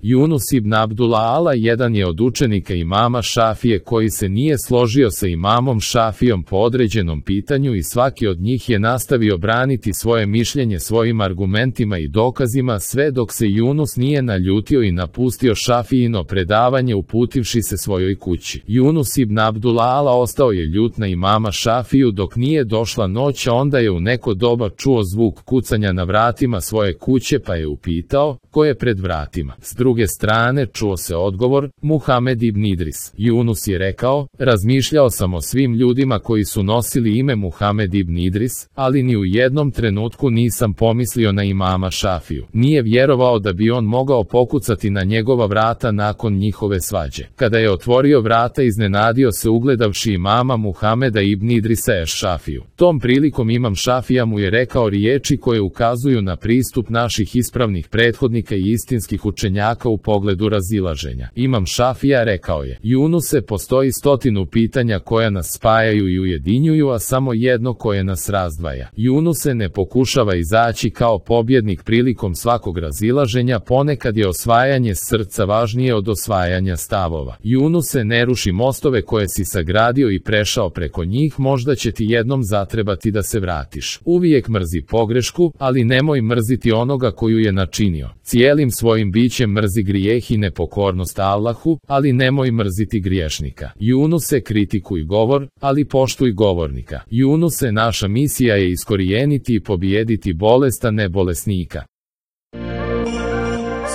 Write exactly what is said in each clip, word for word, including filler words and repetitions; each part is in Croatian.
Yunus ibn Abdullah Ala jedan je od učenika imama Šafije koji se nije složio sa imamom Šafijom po određenom pitanju i svaki od njih je nastavio braniti svoje mišljenje svojim argumentima i dokazima sve dok se Yunus nije naljutio i napustio Šafijino predavanje uputivši se svojoj kući. Yunus ibn Abdullah Ala ostao je ljut na imama Šafiju dok nije došla noć, a onda je u neko doba čuo zvuk kucanja na vratima svoje kuće pa je upitao ko je pred vratima. S druge strane čuo se odgovor, Muhamed ibn Idris. Yunus je rekao, razmišljao sam o svim ljudima koji su nosili ime Muhamed ibn Idris, ali ni u jednom trenutku nisam pomislio na imama Šafiju. Nije vjerovao da bi on mogao pokucati na njegova vrata nakon njihove svađe. Kada je otvorio vrata, iznenadio se ugledavši imama Muhameda ibn Idrisa es Šafiju. Tom prilikom imam Šafija mu je rekao riječi koje ukazuju na pristup naših ispravnih prethodnika i istinskih učenjaka u pogledu razilaženja. Imam Šafija rekao je, Junuse, postoji stotinu pitanja koja nas spajaju i ujedinjuju, a samo jedno koje nas razdvaja. Junuse, ne pokušava izaći kao pobjednik prilikom svakog razilaženja, ponekad je osvajanje srca važnije od osvajanja stavova. Junuse, ne ruši mostove koje si sagradio i prešao preko njih, možda će ti jednom zatrebati da se vratiš. Uvijek mrzi pogrešku, ali nemoj mrziti onoga koju je načinio. Cijelim svojim bićem mrzi grijeh i nepokornost Allahu, ali nemoj mrziti griješnika. Junuse, kritikuj govor, ali poštuj govornika. Junuse, naša misija je iskorijeniti i pobijediti bolest, a ne bolesnika.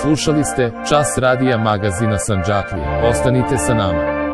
Slušali ste Čas radija magazina Sandžaklije. Ostanite sa nama.